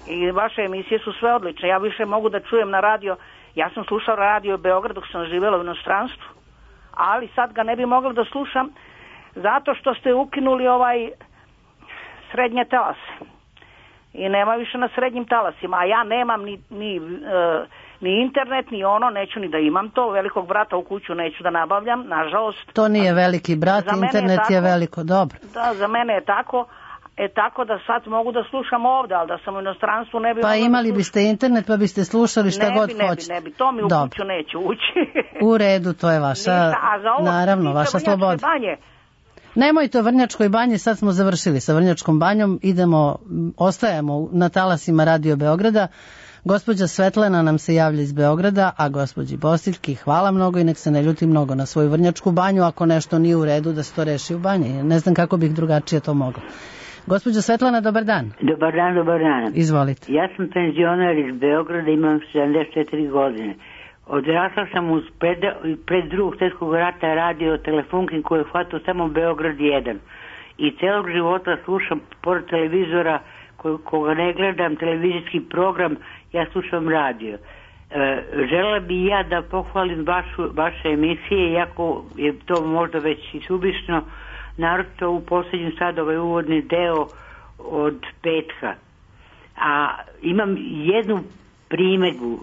I vaše emisije su sve odlične. Ja više mogu da čujem na radio. Ja sam slušao Radio Beograd dok sam živjela u inostranstvu, ali sad ga ne bi mogla da slušam zato što ste ukinuli srednje talase. I nema više na srednjim talasima, a ja nemam ni internet, ni neću ni da imam to. Velikog brata u kuću neću da nabavljam, nažalost. To nije veliki brat, internet je veliko, dobro. Da, za mene je tako. Tako da sad mogu da slušam ovdje, ali da sam u inostranstvu ne bi... Pa imali biste internet pa biste slušali šta god hoćete. Ne bi, to mi u kuću neće ući. U redu, to je vaša, naravno, vaša sloboda. Nemojte o Vrnjačkoj Banji, sad smo završili sa Vrnjačkom Banjom, ostajemo na talasima Radio Beograda. Gospođa Svetlana nam se javlja iz Beograda, a gospođi Bosiljki hvala mnogo i nek se ne ljuti mnogo na svoju Vrnjačku banju, ako nešto nije u redu da se to reši u banji. Ne znam kako bih drugačije to mogla. Gospođa Svetlana, dobar dan. Dobar dan, dobar dan. Izvolite. Ja sam penzioner iz Beograda, imam 74 godine. Odrasla sam pred drugog svjetskog rata radio telefonkin koji je hvatao samo Beograd 1. I celog života slušam, pored televizora, koga ne gledam, televizijski program, ja slušam radio. Želela bi ja da pohvalim vaše emisije, iako je to možda već i subišno, naročito u posljednjem sad ovaj uvodni deo od petka. A imam jednu primjedbu.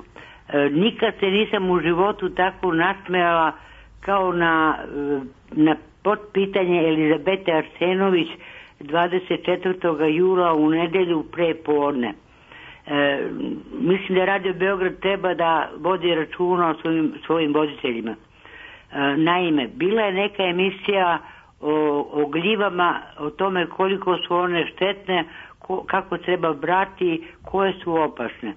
Nikad se nisam u životu tako nasmejala kao na potpitanje Elizabete Arsenović 24. jula u nedjelju pre podne. Mislim da Radio Beograd treba da vodi računa o svojim voditeljima. Naime, bila je neka emisija o gljivama, o tome koliko su one štetne, kako treba brati, koje su opasne.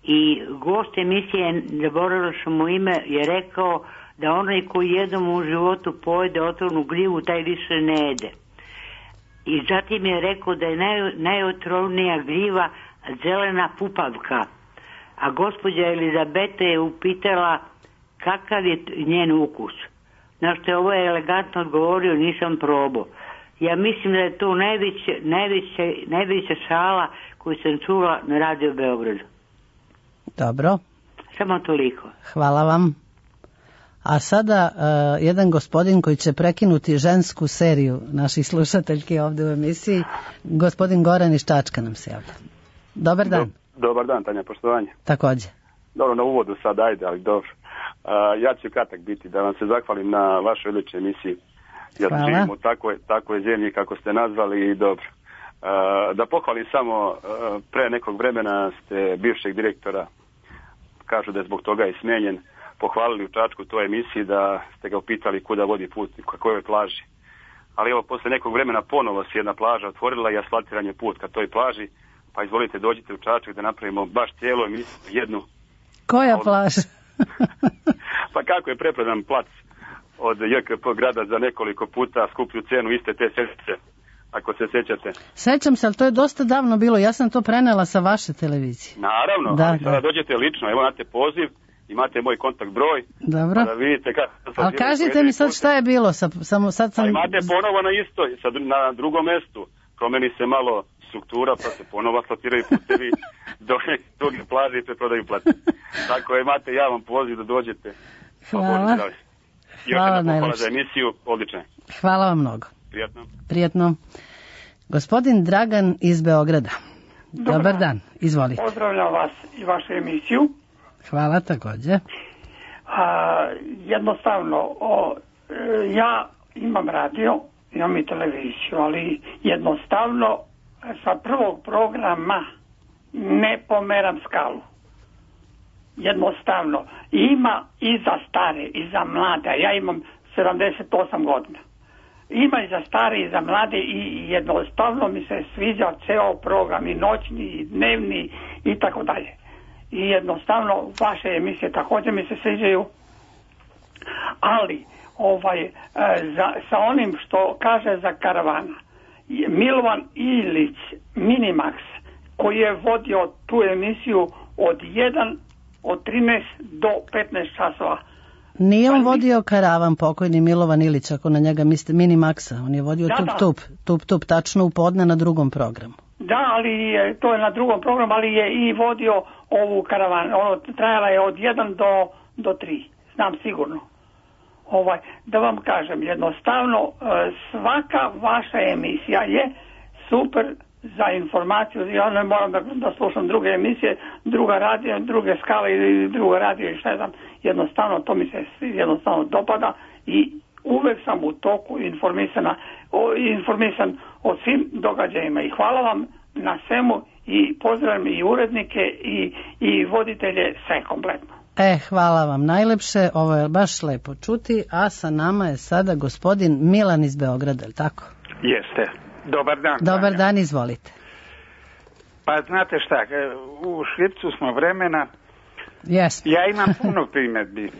I gost emisije, zaboravila sam mu ime, je rekao da onaj koji jednom u životu pojede otrovnu gljivu, taj više ne jede. I zatim je rekao da je najotrovnija gljiva zelena pupavka. A gospođa Elizabeta je upitala kakav je njen ukus. Na što je ovo elegantno odgovorio, nisam probao. Ja mislim da je to najveća šala koju sam čula na Radio Beogradu. Dobro. Samo toliko. Hvala vam. A sada jedan gospodin koji će prekinuti žensku seriju naših slušateljki ovdje u emisiji, gospodin Goran iz Čačka nam se javlja. Dobar dan. Dobar dan, Tanja, poštovanje. Također. Dobro, na uvodu sad, ajde, ali dobro. Ja ću kratak biti, da vam se zahvalim na vašoj odličnoj emisiji. Ja živim u takvoj zemlji kako ste nazvali i dobro. Da pohvalim samo, pre nekog vremena ste bivšeg direktora, kažu da je zbog toga i smenjen, pohvalili u Čačku toj emisiji da ste ga upitali kuda vodi put, ka kojoj plaži. Ali evo, posle nekog vremena ponovo se jedna plaža otvorila i asfaltiran je put ka toj plaži, pa izvolite dođite u Čačak da napravimo baš cijelu emisiju jednu. Koja plaža? Pa kako je preprodan plac od JKP grada za nekoliko puta skuplju cenu iste te sedice, ako se sjećate. Sećam se, ali to je dosta davno bilo, ja sam to prenela sa vaše televizije. Naravno, da, ali sada dođete lično, evo imate poziv, imate moj kontakt broj. Dobro. Da vidite kako... Ali kažite mi sad šta je bilo, samo sad sam... A imate ponovo na istoj, sad na drugom mjestu, promeni se malo struktura, pa se ponovo asfaltiraju putevi, do druge plaže i preprodaju plaće. Tako imate javan poziv da dođete. Hvala. Hvala najlepše. Za emisiju, odlično. Hvala vam mnogo. Prijetno. Prijetno. Gospodin Dragan iz Beograda. Dobar dan, izvolite. Pozdravljam vas i vašu emisiju. Hvala također. Jednostavno, ja imam radio, imam i televiziju, ali jednostavno sa prvog programa ne pomeram skalu. Jednostavno. Ima i za stare i za mlade. Ja imam 78 godina. Ima i za stare i za mlade i jednostavno mi se sviđa ceo program i noćni i dnevni i tako dalje. I jednostavno vaše emisije također mi se sviđaju. Ali sa onim što kaže za karavana, Milovan Ilić Minimax koji je vodio tu emisiju od 13 do 15 časova. Nije on vodio karavan, pokojni Milovan Ilić, ako na njega mislite, Minimaxa. On je vodio Tup, tačno u podne na drugom programu. Da, ali to je na drugom programu, ali je i vodio ovu karavan. Ono trajala je od 1 do 3, znam sigurno. Da vam kažem, jednostavno svaka vaša emisija je super za informaciju. Ja ne moram da slušam druge emisije, druga radio, druge skale ili druga radio i šta znam. Jednostavno to mi se jednostavno dopada i uvek sam u toku informisan o svim događajima i hvala vam na svemu i pozdravljam i urednike i voditelje, sve kompletno. Hvala vam najlepše, ovo je baš lepo čuti, a sa nama je sada gospodin Milan iz Beograda, je li tako? Jeste. Dobar dan. Dobar dan, izvolite. Pa znate šta, u škripcu smo vremena. Yes. Ja imam puno primjedbi,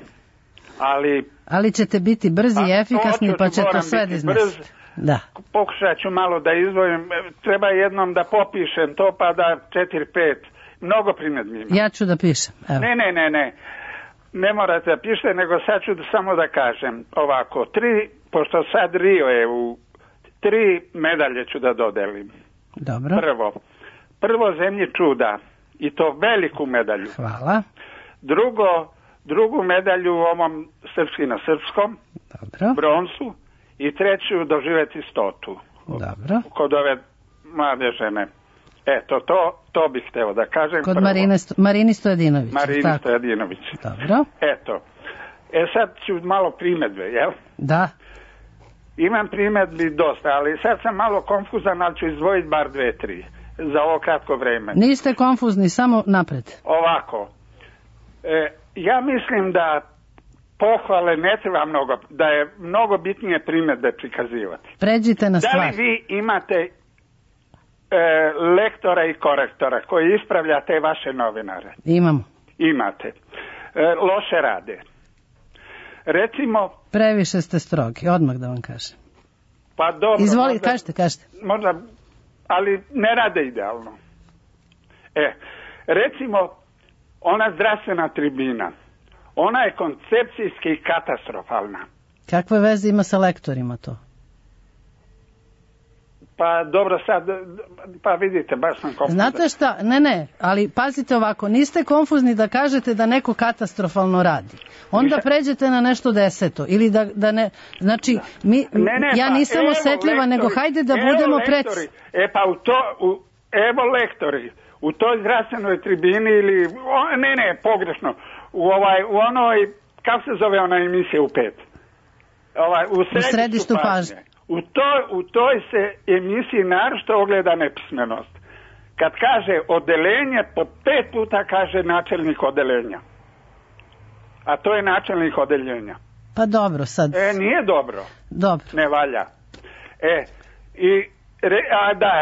ali ćete biti brzi i efikasni, pa će to sve iznesti. Da. Pokušat ću malo da izdvojim, treba jednom da popišem to, pa da 4-5, mnogo primjedbi imam. Ja ću da pišem. Evo. Ne morate da pišete, nego sad ću samo da kažem ovako, pošto sad Rio je u 3 medalje ću da dodelim. Dobro. Prvo Zemlji čuda, i to veliku medalju. Hvala. Drugu medalju u ovom srpski na srpskom, dobro, bronzu, i treću doživjeti 100. Dobro. Kod ove mlade žene. Eto, to bih hteo da kažem. Kod Marini Stojadinović. Stojadinović. Dobro. Eto. Sad ću malo primjedbe, jel? Da. Imam primjedbi dosta, ali sad sam malo konfuzan, ali ću izdvojiti bar 2-3 za ovo kratko vreme. Niste konfuzni, samo napred. Ovako. Ja mislim da pohvale ne treba mnogo, da je mnogo bitnije primjedbe prikazivati. Pređite na stvar. Da li vi imate lektora i korektora koji ispravlja te vaše novinare? Imamo. Imate. Loše rade. Recimo... Previše ste strogi, odmah da vam kažem. Pa dobro. Izvoli, kažete. Možda, ali ne rade idealno. Recimo, ona zdravstvena tribina, ona je koncepcijski katastrofalna. Kakve veze ima sa lektorima to? Pa dobro sad, pa vidite, baš sam konfuzan. Znate šta, ne, ali pazite ovako, niste konfuzni da kažete da neko katastrofalno radi. Onda pređete na nešto 10. Ili da ne, znači, ja nisam osetljiva, nego hajde da budemo preci. Pa evo lektori, u toj zdravstvenoj tribini ili, pogrešno, u onoj, kako se zove ona emisija u 5? U središtu pažnje. U toj se emisiji naročito ogleda nepismenost. Kad kaže odeljenje, po 5 puta kaže načelnik odeljenja. A to je načelnik odeljenja. Pa dobro sad. Nije dobro. Dobro. Ne valja.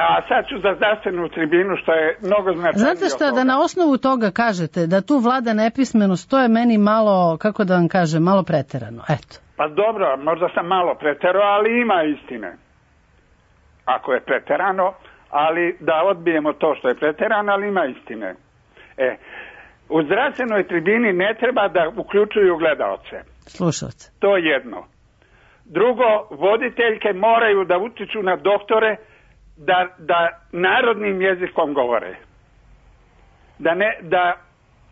A sad ću za zdravstvenu tribinu, što je mnogo značajnije. Znate šta, da na osnovu toga kažete da tu vlada nepismenost, to je meni malo, kako da vam kažem, malo preterano. Eto. Pa dobro, možda sam malo preterao, ali ima istine. Ako je preterano, ali da odbijemo to što je preterano, ali ima istine. U zdravstvenoj tribini ne treba da uključuju gledaoce. Slušalce. To je jedno. Drugo, voditeljke moraju da utiču na doktore da narodnim jezikom govore.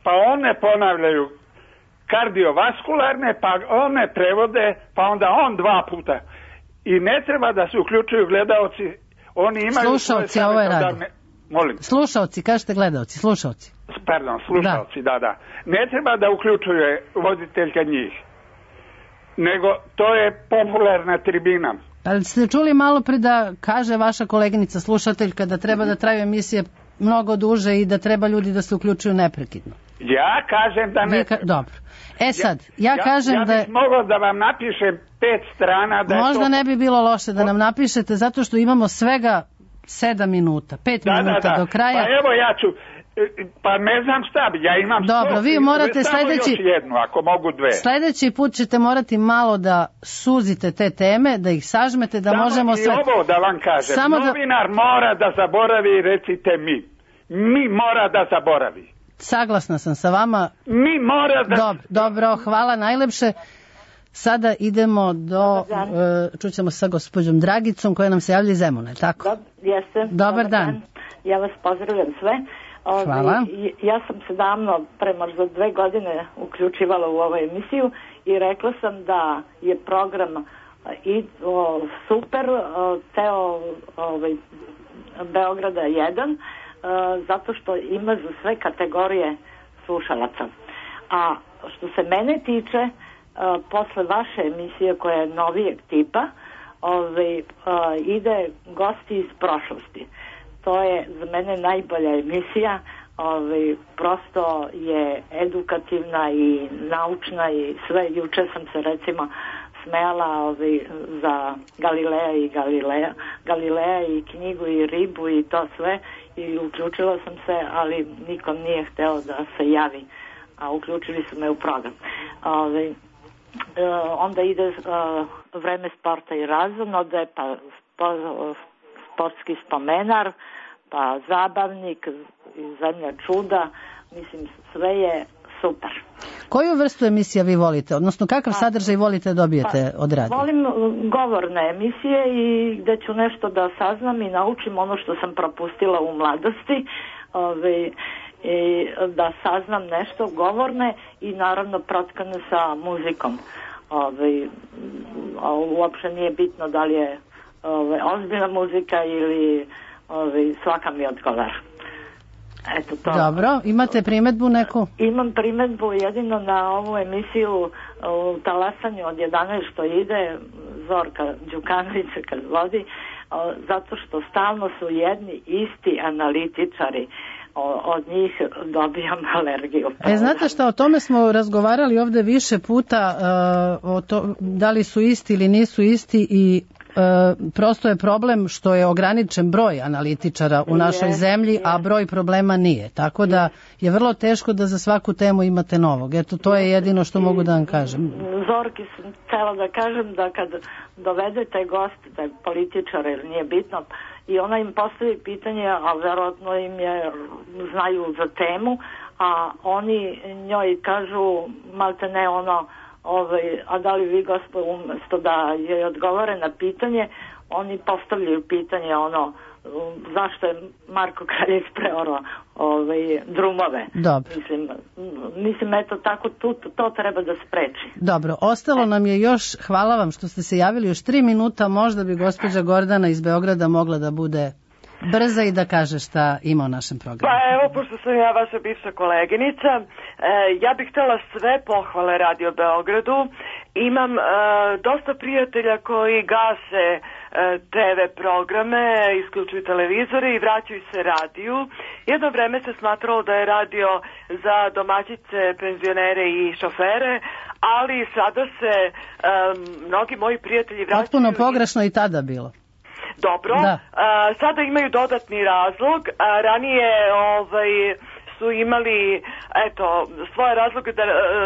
Pa one ponavljaju kardiovaskularne, pa one prevode, pa onda on 2 puta. I ne treba da se uključuju gledaoci, oni imaju... Slušalci, ovo je radio. Molim. Slušalci, kažete gledaoci, slušalci. Pardon, slušalci, da. Ne treba da uključuje voditeljka njih, nego to je popularna tribina. Ali ste čuli malo pre da kaže vaša koleginica slušateljka da treba da traju emisije mnogo duže i da treba ljudi da se uključuju neprekidno. Ja kažem da ne treba. Dobro. Sad, ja kažem da... Ja bih mogao da vam napišem 5 strana da možda ne bi bilo loše da nam napišete, zato što imamo svega 7 minuta, 5 minuta do kraja. Pa evo ja ću, pa ne znam šta bi, ja imam... Dobro, vi morate sledeći... Još jednu, ako mogu 2. Sledeći put ćete morati malo da suzite te teme, da ih sažmete, da možemo sve... Samo i ovo da vam kažem, novinar mora da zaboravi, recite mi. Mi mora da zaboravi. Saglasna sam sa vama. Mi mora da... Dobro, hvala najlepše. Sada idemo čućemo sa gospođom Dragicom koja nam se javlja iz Zemuna, tako? Jeste. Dobar dan. Ja vas pozdravljam sve. Hvala. Ja sam se davno, prema za 2 godine uključivala u ovu emisiju i rekla sam da je program super, ceo Beograda 1, zato što ima za sve kategorije slušalaca. A što se mene tiče, posle vaše emisije koja je novijeg tipa, ide Gosti iz prošlosti. To je za mene najbolja emisija, prosto je edukativna i naučna i sve. Juče sam se recimo smejala za Galileja i knjigu i ribu i to sve, i uključila sam se, ali nikom nije hteo da se javi, a uključili su me u program. Onda ide vreme sporta i razonode, pa sportski spomenar, pa zabavnik, zemlja čuda, mislim sve je super. Koju vrstu emisija vi volite, odnosno kakav sadržaj volite da dobijete od radija? Volim govorne emisije i gde ću nešto da saznam i naučim ono što sam propustila u mladosti, i da saznam nešto govorne i naravno protkane sa muzikom. Uopšte nije bitno da li je ozbiljna muzika ili svaka mi odgovara. Eto to. Dobro, imate primetbu neku? Imam primetbu jedino na ovu emisiju u talasanju od 11 što ide, Zorka Đukanovića kad vodi, zato što stalno su jedni isti analitičari. Od njih dobijam alergiju. Znate šta, o tome smo razgovarali ovde više puta, da li su isti ili nisu isti i prosto je problem što je ograničen broj analitičara u našoj zemlji, a broj problema nije. Tako da je vrlo teško da za svaku temu imate novog. Eto, to je jedino što mogu da vam kažem. Zorki sam htjela da kažem da kad dovedete goste, da je političara ili nije bitno, i ona im postavi pitanje, a verovatno im je, znaju za temu, a oni njoj kažu malte ne ono, a da li vi gospod umjesto da joj odgovore na pitanje, oni postavljaju pitanje ono, zašto je Marko Kraljević preorao drumove. Dobro. Mislim, eto tako, to treba da spreči. Dobro, ostalo nam je još, hvala vam što ste se javili, još 3 minuta, možda bi gospođa Gordana iz Beograda mogla da bude brza i da kaže šta ima u našem programu. Pa evo, pošto sam ja vaša bivša koleginica, ja bih htjela sve pohvale Radio Beogradu. Imam dosta prijatelja koji gase TV programe, isključuju televizore i vraćaju se radiju. Jedno vreme se smatralo da je radio za domaćice, penzionere i šofere, ali sada se mnogi moji prijatelji vraćaju... Potpuno pogrešno i tada bilo. Dobro, sada imaju dodatni razlog, ranije su imali svoje razloge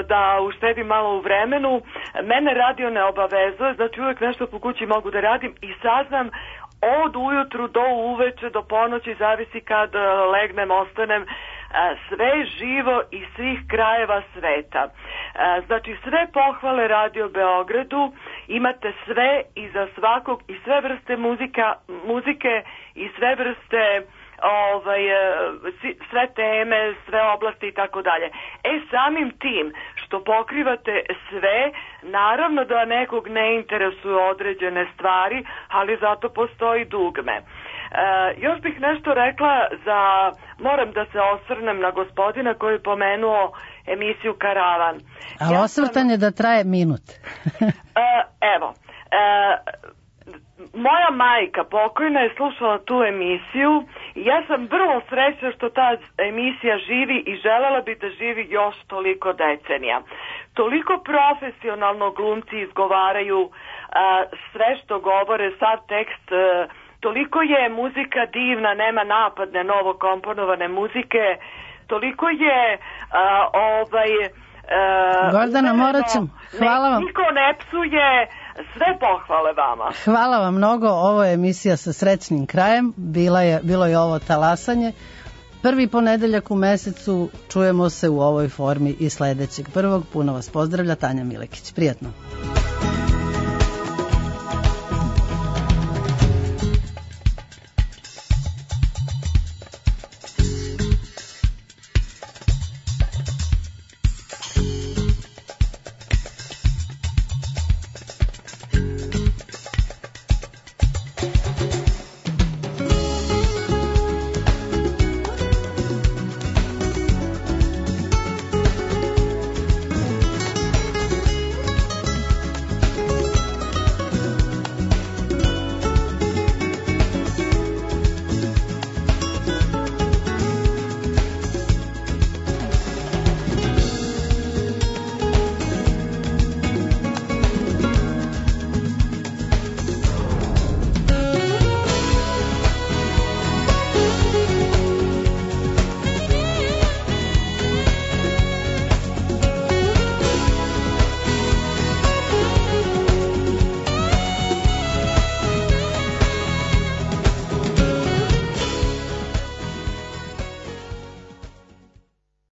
da uštedim malo u vremenu. Mene radio ne obavezuje, znači uvijek nešto po kući mogu da radim i saznam od ujutru do uveče, do ponoći, zavisi kad legnem, ostanem, sve živo iz svih krajeva sveta. Znači sve pohvale Radio Beogradu, imate sve i za svakog i sve vrste muzike i sve vrste sve teme, sve oblasti i tako dalje. Samim tim što pokrivate sve, naravno da nekog ne interesuju određene stvari, ali zato postoji dugme. Još bih nešto rekla moram da se osvrnem na gospodina koji je pomenuo emisiju Karavan. Ali osvrtanje da traje minut. Evo, moja majka pokojna je slušala tu emisiju i ja sam vrlo srećna što ta emisija živi i želela bi da živi još toliko decenija. Toliko profesionalno glumci izgovaraju sve što govore, sav tekst, toliko je muzika divna, nema napadne novo komponovane muzike, toliko je Gordana, morat ću. Hvala vam. Niko ne psuje, sve pohvale vama. Hvala vam mnogo, ovo je emisija sa srećnim krajem, bilo je ovo talasanje. Prvi ponedeljak u mesecu, čujemo se u ovoj formi i sledećeg prvog. Puno vas pozdravlja Tanja Milekić. Prijatno.